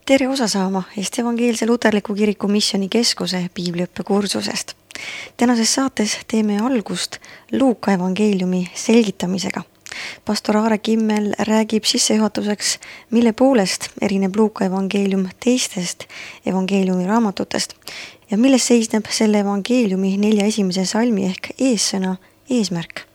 Tere osa saama Eesti Evangeelse Luterliku Kiriku Missioonikeskuse piibliõppekursusest. Tänases saates teeme algust Luuka evangeeliumi selgitamisega. Pastor Aare Kimmel räägib sissejuhatuseks, mille poolest erineb Luuka evangeelium teistest evangeeliumi raamatutest ja milles seisneb selle evangeeliumi 4 esimese salmi ehk eessõna eesmärk.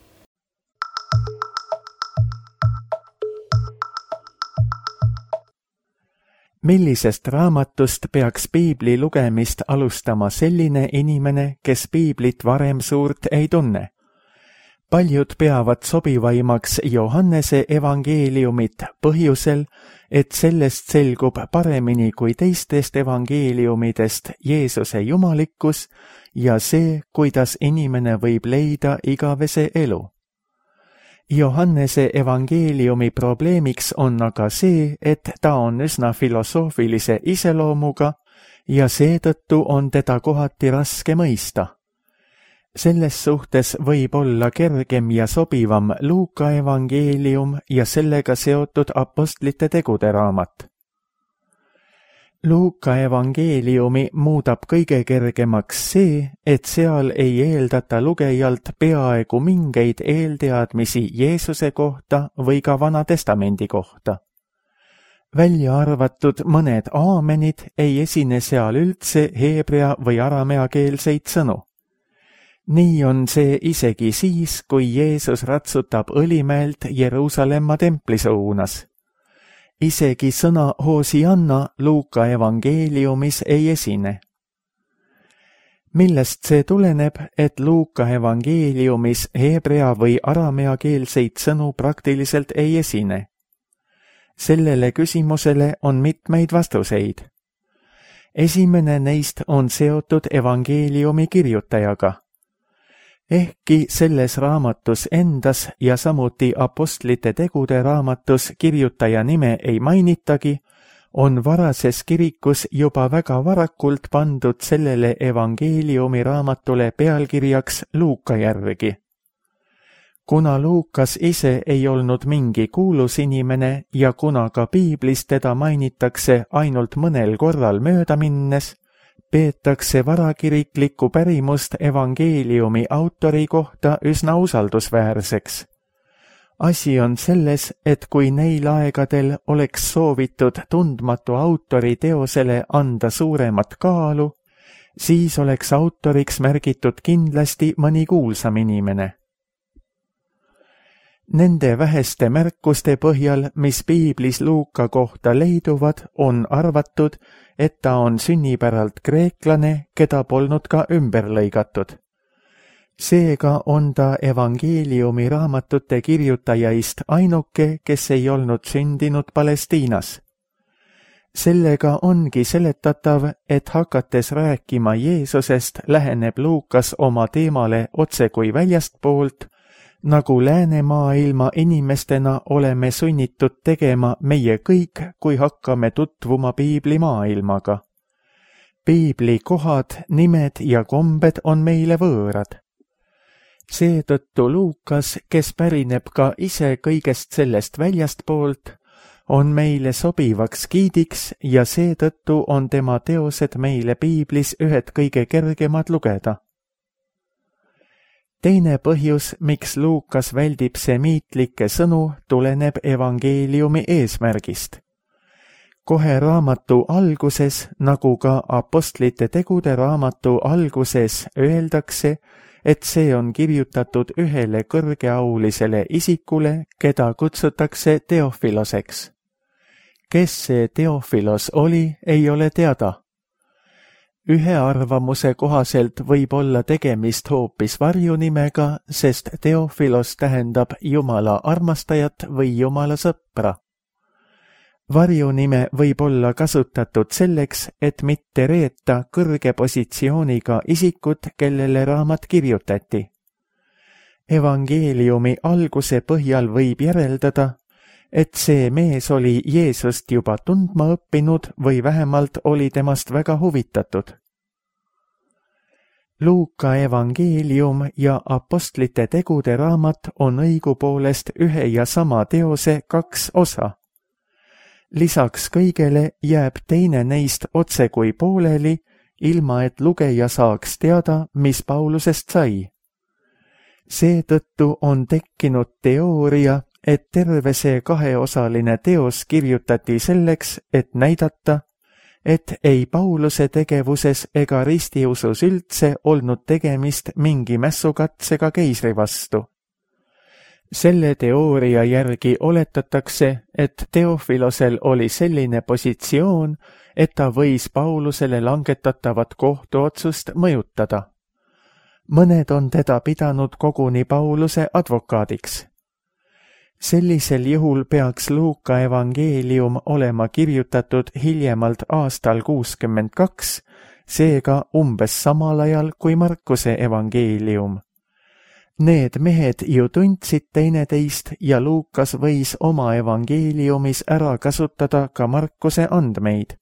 Millisest raamatust peaks piibli lugemist alustama selline inimene, kes piiblit varem suurt ei tunne? Paljud peavad sobivaimaks Johannese evangeeliumit põhjusel, et sellest selgub paremini kui teistest evangeeliumidest Jeesuse jumalikkus ja see, kuidas inimene võib leida igavese elu. Johannese evangeeliumi probleemiks on aga see, et ta on üsna filosoofilise iseloomuga ja seetõttu on teda kohati raske mõista. Selles suhtes võib olla kergem ja sobivam Luuka evangeelium ja sellega seotud apostlite tegude raamat. Luuka evangeeliumi muudab kõige kergemaks see, et seal ei eeldata lugejalt peaaegu mingeid eelteadmisi Jeesuse kohta või ka Vana Testamendi kohta. Välja arvatud mõned aamenid ei esine seal üldse heebrea või arameakeelseid sõnu. Nii on see isegi siis, kui Jeesus ratsutab Õlimäelt Jeruusalemma templi suunas. Isegi sõna Hosianna Luuka evangeeliumis ei esine. Millest see tuleneb, et Luuka evangeeliumis heebrea või arameakeelseid sõnu praktiliselt ei esine? Sellele küsimusele on mitmeid vastuseid. Esimene neist on seotud evangeeliumi kirjutajaga. Ehkki selles raamatus endas ja samuti apostlite tegude raamatus kirjutaja nime ei mainitagi, on varases kirikus juba väga varakult pandud sellele evangeeliumi raamatule pealkirjaks Luuka järgi. Kuna Luukas ise ei olnud mingi kuulus inimene ja kuna ka piiblis teda mainitakse ainult mõnel korral mööda minnes, peetakse varakiriklikku pärimust evangeeliumi autori kohta üsna usaldusväärseks. Asi on selles, et kui neil aegadel oleks soovitud tundmatu autori teosele anda suuremat kaalu, siis oleks autoriks märgitud kindlasti mõni kuulsam inimene. Nende väheste märkuste põhjal, mis piiblis Luuka kohta leiduvad, on arvatud, et ta on sünnipäralt kreeklane, keda polnud ka ümber lõigatud. Seega on ta evangeeliumi raamatute kirjutajaist ainuke, kes ei olnud sündinud Palestiinas. Sellega ongi seletatav, et hakates rääkima Jeesusest, läheneb Luukas oma teemale otse kui väljastpoolt, nagu läänemaailma inimestena oleme sunnitud tegema meie kõik, kui hakkame tutvuma piibli maailmaga. Piibli kohad, nimed ja kombed on meile võõrad. Seetõttu Luukas, kes pärineb ka ise kõigest sellest väljastpoolt, on meile sobivaks giidiks ja seetõttu on tema teosed meile piiblis ühed kõige kergemad lugeda. Teine põhjus, miks Luukas väldib semiitlikke sõnu, tuleneb evangeeliumi eesmärgist. Kohe raamatu alguses, nagu ka apostlite tegude raamatu alguses öeldakse, et see on kirjutatud ühele kõrgeaulisele isikule, keda kutsutakse Teofiloseks. Kes see Teofilos oli, ei ole teada. Ühe arvamuse kohaselt võib olla tegemist hoopis varjunimega, sest Teofilos tähendab Jumala armastajat või Jumala sõpra. Varjunime võib olla kasutatud selleks, et mitte reeta kõrge positsiooniga isikut, kellele raamat kirjutati. Evangeeliumi alguse põhjal võib järeldada, et see mees oli Jeesust juba tundma õppinud või vähemalt oli temast väga huvitatud. Luuka evangeelium ja apostlite tegude raamat on õigupoolest ühe ja sama teose 2 osa. Lisaks kõigele jääb teine neist otse kui pooleli, ilma et lugeja saaks teada, mis Paulusest sai. Seetõttu on tekkinud teooria, et terve see kaheosaline teos kirjutati selleks, et näidata, et ei Pauluse tegevuses ega ristiusus üldse olnud tegemist mingi mässukatsega keisri vastu. Selle teooria järgi oletatakse, et Teofilosel oli selline positsioon, et ta võis Paulusele langetatavat kohtuotsust mõjutada. Mõned on teda pidanud koguni Pauluse advokaadiks. Sellisel juhul peaks Luuka evangeelium olema kirjutatud hiljemalt aastal 62, seega umbes samal ajal kui Markuse evangeelium. Need mehed ju tundsid teineteist ja Luukas võis oma evangeeliumis ära kasutada ka Markuse andmeid.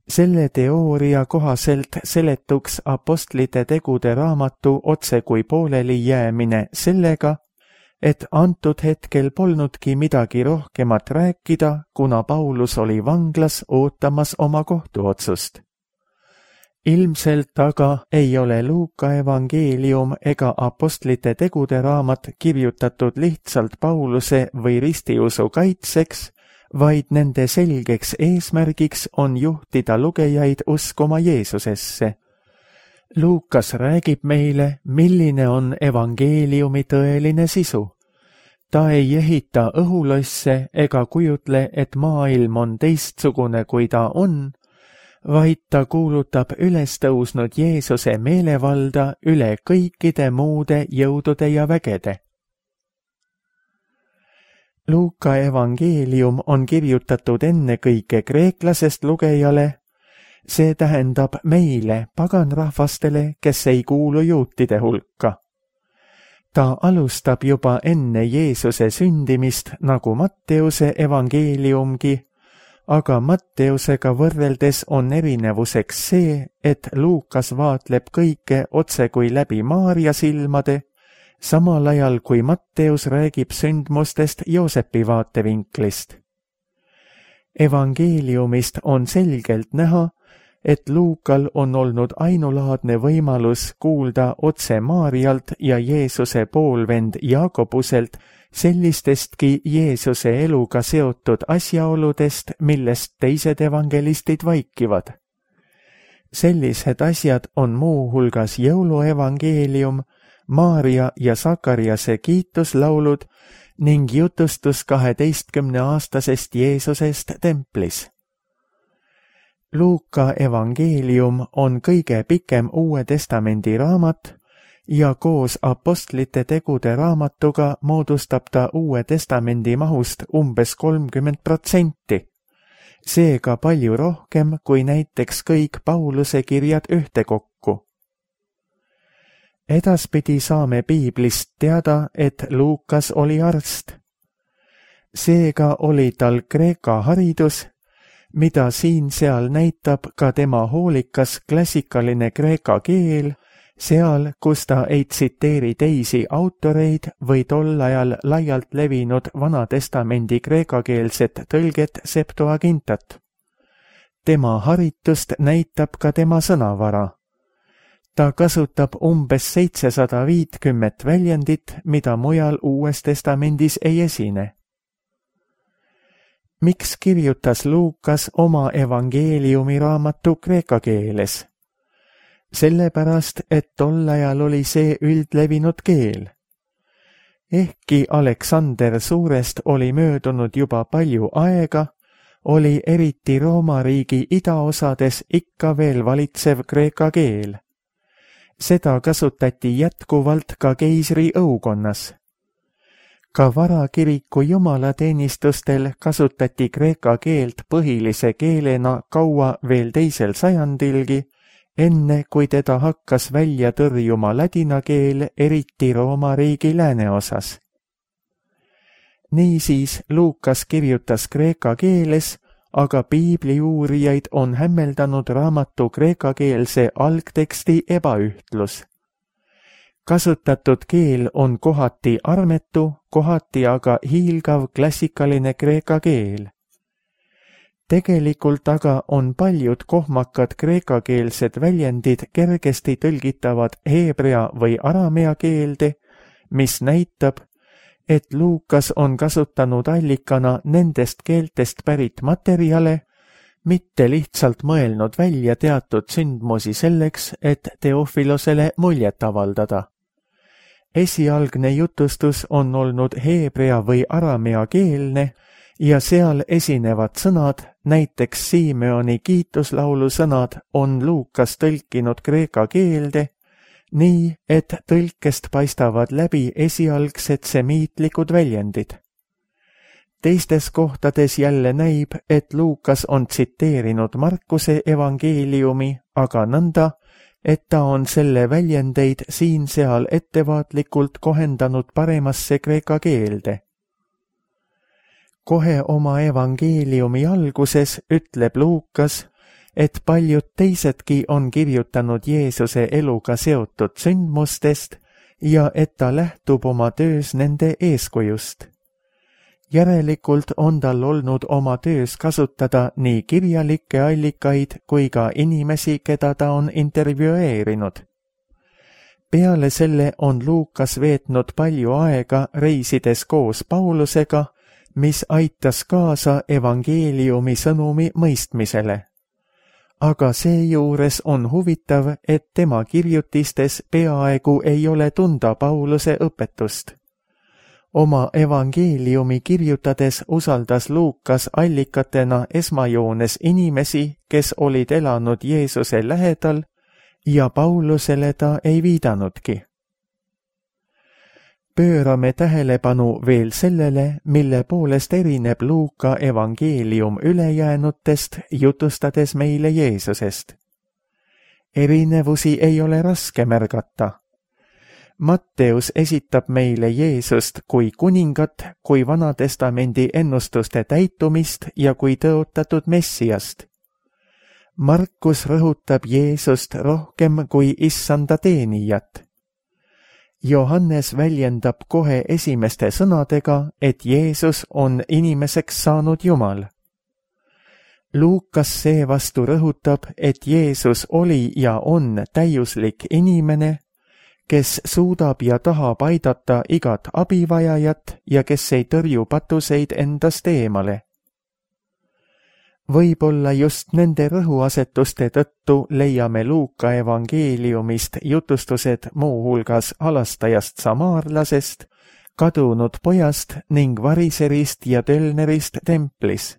Selle teooria kohaselt seletuks apostlite tegude raamatu otse kui pooleli jäämine sellega, et antud hetkel polnudki midagi rohkemat rääkida, kuna Paulus oli vanglas ootamas oma kohtuotsust. Ilmselt aga ei ole Luuka evangeelium ega apostlite tegude raamat kirjutatud lihtsalt Pauluse või ristiusu kaitseks, vaid nende selgeks eesmärgiks on juhtida lugejaid uskuma Jeesusesse. Luukas räägib meile, milline on evangeeliumi tõeline sisu. Ta ei ehita õhulosse ega kujutle, et maailm on teistsugune, kui ta on, vaid ta kuulutab ülestõusnud Jeesuse meelevalda üle kõikide muude jõudude ja vägede. Luuka evangeelium on kirjutatud ennekõike kreeklasest lugejale, see tähendab meile, paganrahvastele, kes ei kuulu juutide hulka. Ta alustab juba enne Jeesuse sündimist nagu Matteuse evangeeliumgi, aga Matteusega võrreldes on erinevuseks see, et Luukas vaatleb kõike otse kui läbi Maarja silmade, samal ajal kui Matteus räägib sündmustest Joosepi vaatevinklist. Evangeeliumist on selgelt näha, et Luukal on olnud ainulaadne võimalus kuulda otse Maarjalt ja Jeesuse poolvend Jaakobuselt sellistestki Jeesuse eluga seotud asjaoludest, millest teised evangelistid vaikivad. Sellised asjad on muuhulgas jõuluevangeelium, Maarja ja Sakariase kiituslaulud ning jutustus 12-aastasest Jeesusest templis. Luuka evangeelium on kõige pikem Uue Testamendi raamat ja koos apostlite tegude raamatuga moodustab ta Uue Testamendi mahust umbes 30%, seega palju rohkem kui näiteks kõik Pauluse kirjad ühtekokku. Edaspidi saame piiblist teada, et Luukas oli arst. Seega oli tal kreeka haridus, mida siin-seal näitab ka tema hoolikas klassikaline kreeka keel, seal, kus ta ei tsiteeri teisi autoreid või tol ajal laialt levinud Vanatestamendi kreekakeelset tõlget Septuagintat. Tema haritust näitab ka tema sõnavara. Ta kasutab umbes 750 väljendit, mida mujal Uues Testamendis ei esine. Miks kirjutas Luukas oma evangeeliumi raamatu kreeka keeles? Sellepärast, et tol ajal oli see üldlevinud keel. Ehkki Aleksander Suurest oli möödunud juba palju aega, oli eriti Rooma riigi idaosades ikka veel valitsev kreeka keel. Seda kasutati jätkuvalt ka keisri õukonnas. Ka varakiriku jumalateenistustel kasutati kreeka keelt põhilise keelena kaua veel 2. sajandilgi, enne kui teda hakkas välja tõrjuma ladina keel, eriti Rooma riigi lääneosas. Niisiis Luukas kirjutas kreeka keeles, aga piibliuurijaid on hämmeldanud raamatu kreekakeelse algteksti ebaühtlus. Kasutatud keel on kohati armetu, kohati aga hiilgav klassikaline kreeka keel. Tegelikult aga on paljud kohmakad kreekakeelsed väljendid kergesti tõlgitavad heebrea või aramea keelde, mis näitab, et Luukas on kasutanud allikana nendest keeltest pärit materjale, mitte lihtsalt mõelnud välja teatud sündmusi selleks, et Teofilosele muljet avaldada. Esialgne jutustus on olnud heebrea või aramea keelne ja seal esinevad sõnad, näiteks Simeoni kiituslaulu sõnad, on Luukas tõlkinud kreeka keelde, nii et tõlkest paistavad läbi esialgsed semiitlikud väljendid. Teistes kohtades jälle näib, et Luukas on tsiteerinud Markuse evangeeliumi, aga nõnda, et ta on selle väljendeid siin-seal ettevaatlikult kohendanud paremasse kreeka keelde. Kohe oma evangeeliumi alguses ütleb Luukas, et paljud teisedki on kirjutanud Jeesuse eluga seotud sündmustest ja et ta lähtub oma töös nende eeskujust. Järelikult on tal olnud oma töös kasutada nii kirjalikke allikaid kui ka inimesi, keda ta on intervjueerinud. Peale selle on Luukas veetnud palju aega reisides koos Paulusega, mis aitas kaasa evangeeliumi sõnumi mõistmisele. Aga seejuures on huvitav, et tema kirjutistes peaaegu ei ole tunda Pauluse õpetust. Oma evangeeliumi kirjutades usaldas Luukas allikatena esmajoones inimesi, kes olid elanud Jeesuse lähedal ja Paulusele ta ei viidanudki. Pöörame tähelepanu veel sellele, mille poolest erineb Luuka evangeelium ülejäänutest, jutustades meile Jeesusest. Erinevusi ei ole raske märgata. Matteus esitab meile Jeesust kui kuningat, kui Vanatestamendi ennustuste täitumist ja kui tõotatud Messiast. Markus rõhutab Jeesust rohkem kui issanda teenijat. Johannes väljendab kohe esimeste sõnadega, et Jeesus on inimeseks saanud Jumal. Luukas seevastu rõhutab, et Jeesus oli ja on täiuslik inimene, kes suudab ja tahab aidata igat abivajajat ja kes ei tõrju patuseid endast eemale. Võib-olla just nende rõhuasetuste tõttu leiame Luuka evangeeliumist jutustused muuhulgas halastajast samaarlasest, kadunud pojast ning variserist ja tölnerist templis.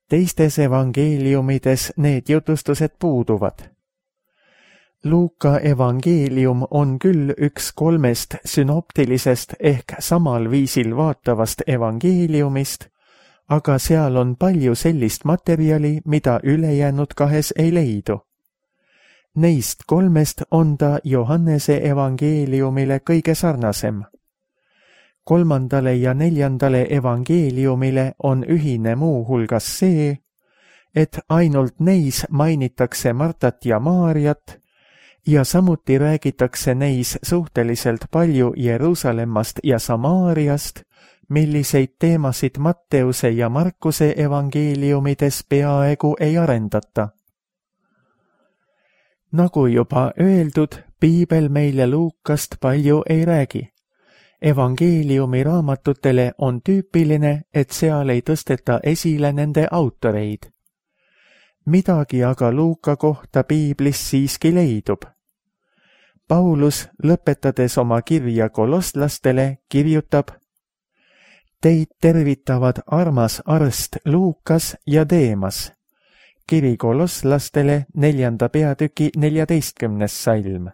Teistes evangeeliumides need jutustused puuduvad. Luuka evangeelium on küll üks 3 synoptilisest ehk samal viisil vaatavast evangeeliumist, aga seal on palju sellist materjali, mida ülejäänud 2 ei leidu. Neist 3 on ta Johannese evangeeliumile kõige sarnasem. 3. ja 4. evangeeliumile on ühine muuhulgas see, et ainult neis mainitakse Martat ja Maarjat ja samuti räägitakse neis suhteliselt palju Jeruusalemmast ja Samaariast, milliseid teemasid Matteuse ja Markuse evangeeliumides peaaegu ei arendata. Nagu juba öeldud, piibel meile Luukast palju ei räägi. Evangeeliumi raamatutele on tüüpiline, et seal ei tõsteta esile nende autoreid. Midagi aga Luuka kohta piiblis siiski leidub. Paulus, lõpetades oma kirja kolosslastele, kirjutab: Teid tervitavad armas arst Luukas ja Deemas. Kiri kolosslastele 4. peatüki 14. salm.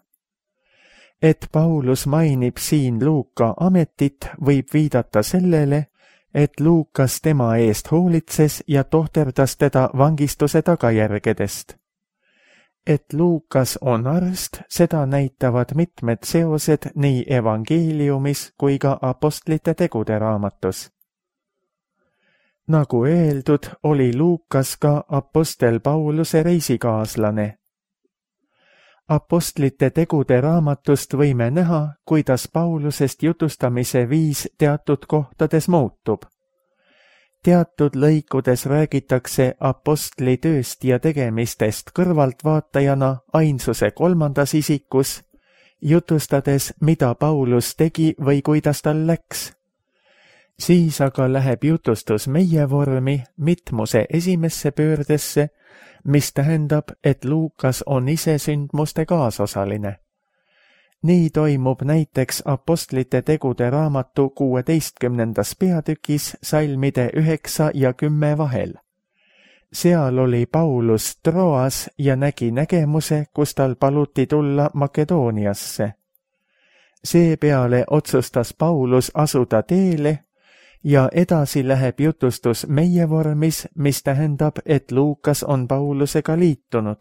Et Paulus mainib siin Luuka ametit, võib viidata sellele, et Luukas tema eest hoolitses ja tohterdas teda vangistuse tagajärgedest. Et Luukas on arst, seda näitavad mitmed seosed nii evangeeliumis kui ka apostlite tegude raamatus. Nagu öeldud, oli Luukas ka apostel Pauluse reisikaaslane. Apostlite tegude raamatust võime näha, kuidas Paulusest jutustamise viis teatud kohtades muutub. teatud lõikudes räägitakse apostli tööst ja tegemistest kõrvaltvaatajana ainsuse 3. isikus, jutustades, mida Paulus tegi või kuidas tal läks. Siis aga läheb jutustus meie vormi mitmuse esimesse pöördesse, mis tähendab, et Luukas on ise sündmuste kaasosaline. Nii toimub näiteks Apostlite tegude raamatu 16. peatükis salmide 9 ja 10 vahel. Seal oli Paulus Troas ja nägi nägemuse, kus tal paluti tulla Makedooniasse. Seepeale otsustas Paulus asuda teele ja edasi läheb jutustus meie vormis, mis tähendab, et Luukas on Paulusega liitunud.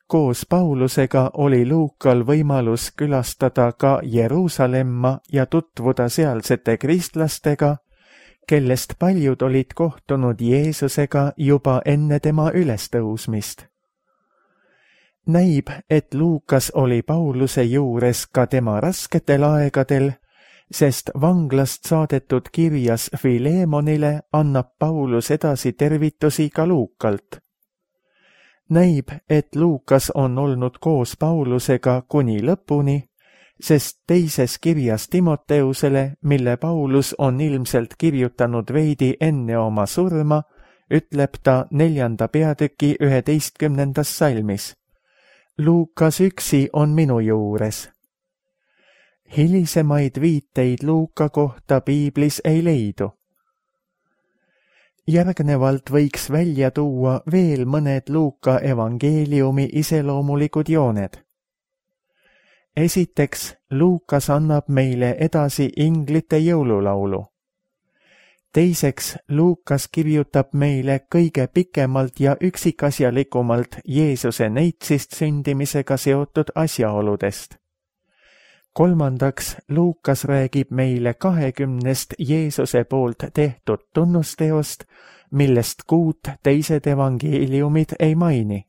Koos Paulusega oli Luukal võimalus külastada ka Jeruusalemma ja tutvuda sealsete kristlastega, kellest paljud olid kohtunud Jeesusega juba enne tema ülestõusmist. Näib, et Luukas oli Pauluse juures ka tema rasketel aegadel, sest vanglast saadetud kirjas Filemonile annab Paulus edasi tervitusi ka Luukalt. Näib, et Luukas on olnud koos Paulusega kuni lõpuni, sest teises kirjas Timoteusele, mille Paulus on ilmselt kirjutanud veidi enne oma surma, ütleb ta 4. peatüki 11. salmis. Luukas üksi on minu juures. Hilisemaid viiteid Luuka kohta piiblis ei leidu. Järgnevalt võiks välja tuua veel mõned Luuka evangeeliumi iseloomulikud jooned. Esiteks, Luukas annab meile edasi inglite jõululaulu. Teiseks, Luukas kirjutab meile kõige pikemalt ja üksikasjalikumalt Jeesuse neitsist sündimisega seotud asjaoludest. Kolmandaks, Luukas räägib meile 20 Jeesuse poolt tehtud tunnusteost, millest 6 teised evangeeliumid ei maini.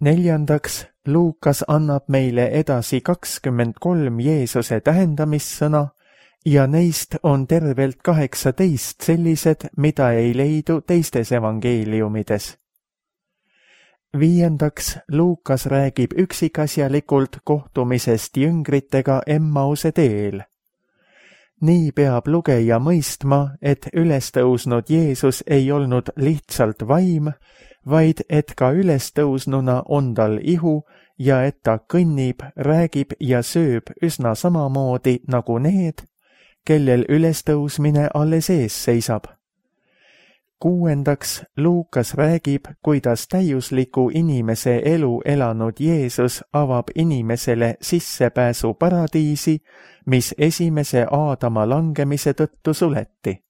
Neljandaks, Luukas annab meile edasi 23 Jeesuse tähendamissõna ja neist on tervelt 18 sellised, mida ei leidu teistes evangeeliumides. Viiendaks, Luukas räägib üksikasjalikult kohtumisest jüngritega Emmause teel. Nii peab lugeja mõistma, et ülestõusnud Jeesus ei olnud lihtsalt vaim, vaid et ka ülestõusnuna on tal ihu ja et ta kõnnib, räägib ja sööb üsna samamoodi nagu need, kellel ülestõusmine alles ees seisab. Kuuendaks, Luukas räägib, kuidas täiusliku inimese elu elanud Jeesus avab inimesele sissepääsu paradiisi, mis esimese Aadama langemise tõttu suleti.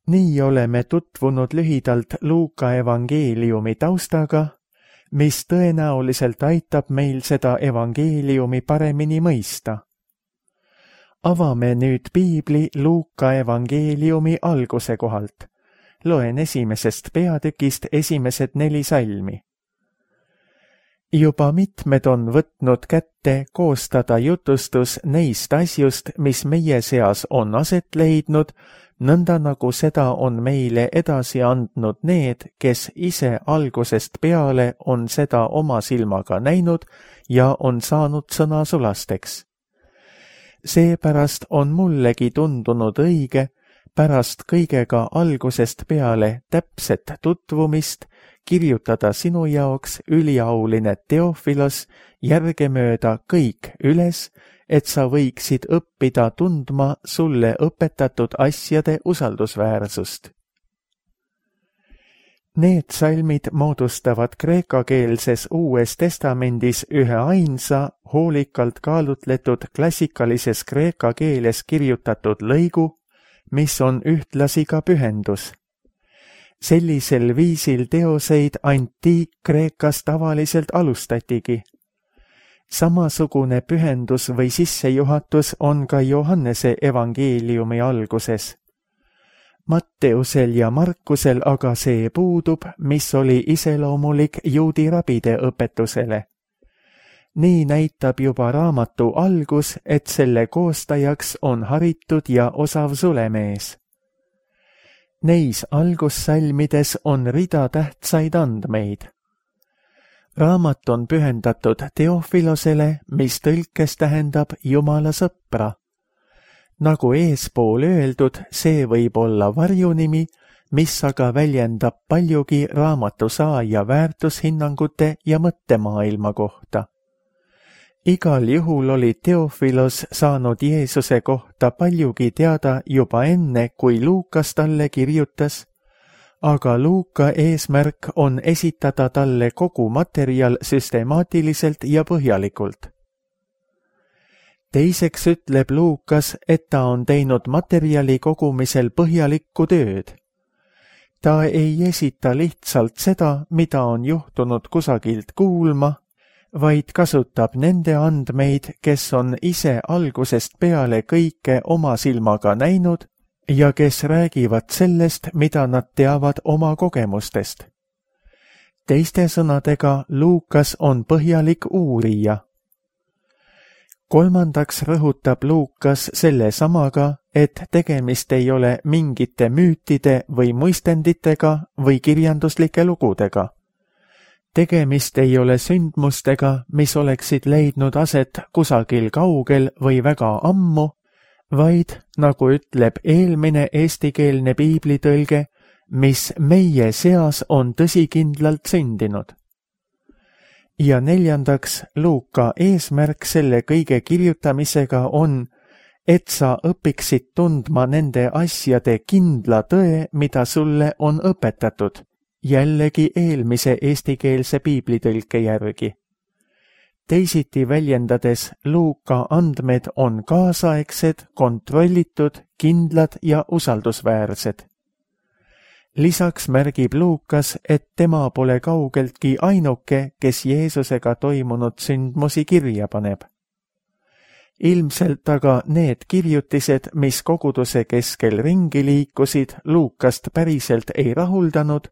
Nii oleme tutvunud lühidalt Luuka evangeeliumi taustaga, mis tõenäoliselt aitab meil seda evangeeliumi paremini mõista. Avame nüüd piibli Luuka evangeeliumi alguse kohalt. Loen 1. peatükist esimesed 4 salmi. Juba mitmed on võtnud kätte koostada jutustus neist asjust, mis meie seas on aset leidnud, nõnda nagu seda on meile edasi andnud need, kes ise algusest peale on seda oma silmaga näinud ja on saanud sõnasulasteks. Seepärast on mullegi tundunud õige pärast kõigega algusest peale täpset tutvumist kirjutada sinu jaoks üliauline Teofilos järgemööda kõik üles, et sa võiksid õppida tundma sulle õpetatud asjade usaldusväärsust. Need salmid moodustavad kreekakeelses Uues Testamendis ühe ainsa, hoolikalt kaalutletud klassikalises kreeka keeles kirjutatud lõigu, mis on ühtlasi ka pühendus. Sellisel viisil teoseid antiik-Kreekas tavaliselt alustatigi. Samasugune pühendus või sissejuhatus on ka Johannese evangeeliumi alguses. Matteusel ja Markusel aga see puudub, mis oli iseloomulik juudi rabide õpetusele. Nii näitab juba raamatu algus, et selle koostajaks on haritud ja osav sulemees. Neis algussalmides on rida tähtsaid andmeid. Raamat on pühendatud Teofilosele, mis tõlkes tähendab Jumala sõpra. Nagu eespool öeldud, see võib olla varjunimi, mis aga väljendab paljugi raamatu saaja väärtushinnangute ja mõttemaailma kohta. Igal juhul oli Teofilos saanud Jeesuse kohta paljugi teada juba enne, kui Luukas talle kirjutas, aga Luuka eesmärk on esitada talle kogu materjal süstemaatiliselt ja põhjalikult. Teiseks ütleb Luukas, et ta on teinud materjali kogumisel põhjalikku tööd. Ta ei esita lihtsalt seda, mida on juhtunud kusagilt kuulma, vaid kasutab nende andmeid, kes on ise algusest peale kõike oma silmaga näinud ja kes räägivad sellest, mida nad teavad oma kogemustest. Teiste sõnadega, Luukas on põhjalik uurija. Kolmandaks rõhutab Luukas selle samaga, et tegemist ei ole mingite müütide või muistenditega või kirjanduslike lugudega. Tegemist ei ole sündmustega, mis oleksid leidnud aset kusagil kaugel või väga ammu, vaid, nagu ütleb eelmine eestikeelne piiblitõlge, mis meie seas on tõsikindlalt sündinud. Ja neljandaks, Luuka eesmärk selle kõige kirjutamisega on, et sa õpiksid tundma nende asjade kindla tõe, mida sulle on õpetatud, jällegi eelmise eestikeelse piiblitõlke järgi. Teisiti väljendades, Luuka andmed on kaasaegsed, kontrollitud, kindlad ja usaldusväärsed. Lisaks märgib Luukas, et tema pole kaugeltki ainuke, kes Jeesusega toimunud sündmusi kirja paneb. Ilmselt aga need kirjutised, mis koguduse keskel ringi liikusid, Luukast päriselt ei rahuldanud,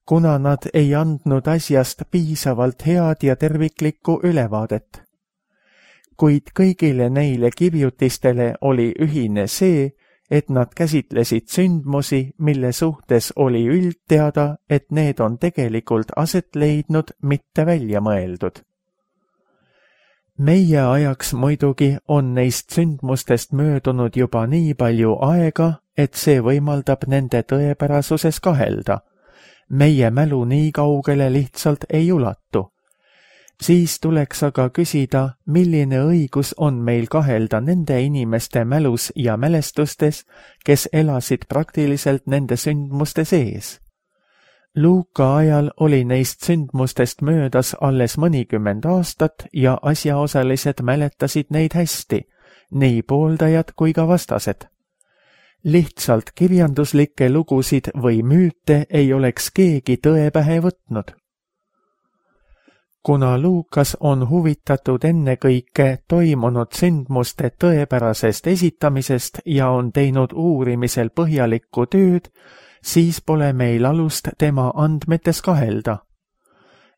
kuna nad ei andnud asjast piisavalt head ja terviklikku ülevaadet. Kuid kõigile neile kirjutistele oli ühine see, et nad käsitlesid sündmusi, mille suhtes oli üldteada, et need on tegelikult aset leidnud, mitte välja mõeldud. Meie ajaks muidugi on neist sündmustest möödunud juba nii palju aega, et see võimaldab nende tõepärasuses kahelda. Meie mälu nii kaugele lihtsalt ei ulatu. Siis tuleks aga küsida, milline õigus on meil kahelda nende inimeste mälus ja mälestustes, kes elasid praktiliselt nende sündmuste sees. Luuka ajal oli neist sündmustest möödas alles mõnikümmend aastat ja asjaosalised mäletasid neid hästi, nii pooldajad kui ka vastased. Lihtsalt kirjanduslikke lugusid või müüte ei oleks keegi tõe pähe võtnud. Kuna Luukas on huvitatud ennekõike toimunud sündmuste tõepärasest esitamisest ja on teinud uurimisel põhjalikku tööd, siis pole meil alust tema andmetes kahelda.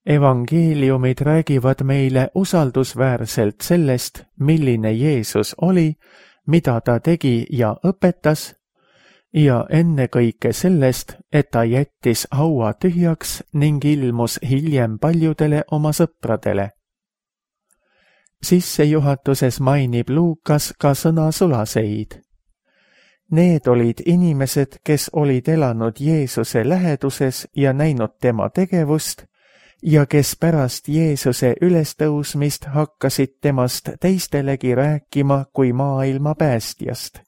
Evangeeliumid räägivad meile usaldusväärselt sellest, milline Jeesus oli, mida ta tegi ja õpetas, ja ennekõike sellest, et ta jättis haua tühjaks ning ilmus hiljem paljudele oma sõpradele. Sissejuhatuses mainib Luukas ka sõnasulaseid. Need olid inimesed, kes olid elanud Jeesuse läheduses ja näinud tema tegevust ja kes pärast Jeesuse ülestõusmist hakkasid temast teistelegi rääkima kui maailma päästjast.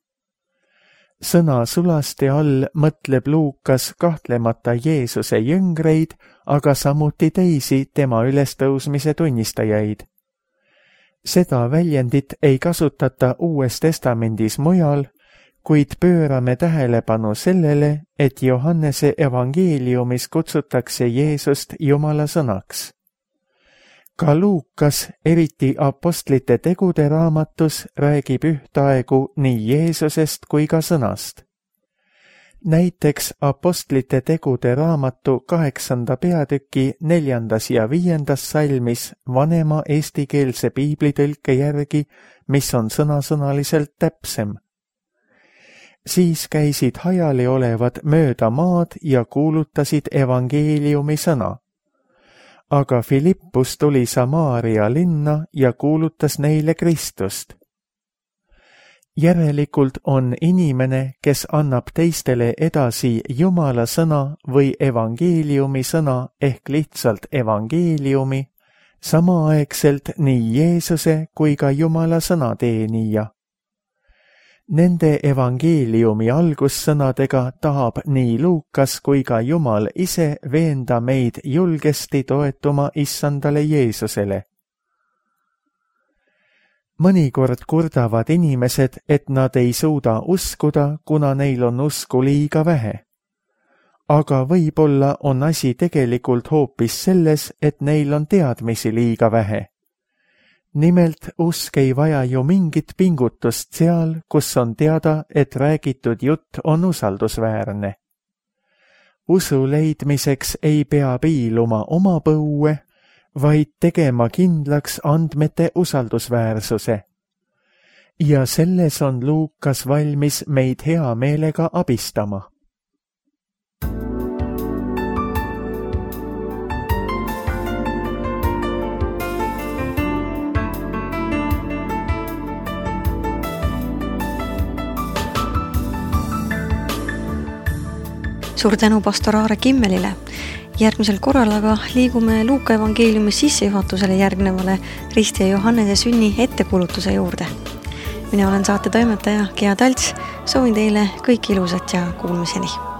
Sõna sulaste all mõtleb Luukas kahtlemata Jeesuse jüngreid, aga samuti teisi tema ülestõusmise tunnistajaid. Seda väljendit ei kasutata Uues Testamendis mujal, kuid pöörame tähelepanu sellele, et Johannese evangeeliumis kutsutakse Jeesust Jumala sõnaks. Ka Luukas, eriti apostlite tegude raamatus, räägib ühtaegu nii Jeesusest kui ka sõnast. Näiteks Apostlite tegude raamatu 8. peatüki 4. ja 5. salmis vanema eestikeelse piiblitõlke järgi, mis on sõnasõnaliselt täpsem. Siis käisid hajali olevad mööda maad ja kuulutasid evangeeliumi sõna. Aga Filippus tuli Samaaria linna ja kuulutas neile Kristust. Järelikult on inimene, kes annab teistele edasi Jumala sõna või evangeeliumi sõna ehk lihtsalt evangeeliumi, samaaegselt nii Jeesuse kui ka Jumala sõna teenija. Nende evangeeliumi algussõnadega tahab nii Luukas kui ka Jumal ise veenda meid julgesti toetuma issandale Jeesusele. Mõnikord kurdavad inimesed, et nad ei suuda uskuda, kuna neil on usku liiga vähe. Aga võib-olla on asi tegelikult hoopis selles, et neil on teadmisi liiga vähe. Nimelt usk ei vaja ju mingit pingutust seal, kus on teada, et räägitud jutt on usaldusväärne. Usu leidmiseks ei pea piiluma oma põue, vaid tegema kindlaks andmete usaldusväärsuse. Ja selles on Luukas valmis meid hea meelega abistama. Suur tänu pastor Aare Kimmelile. Järgmisel korral aga liigume Luuka evangeeliumi sissejuhatusele järgnevale Risti ja Johannese sünni ettekuulutuse juurde. Mina olen saate toimetaja Gea Talts, soovin teile kõik ilusat ja kuulmiseni.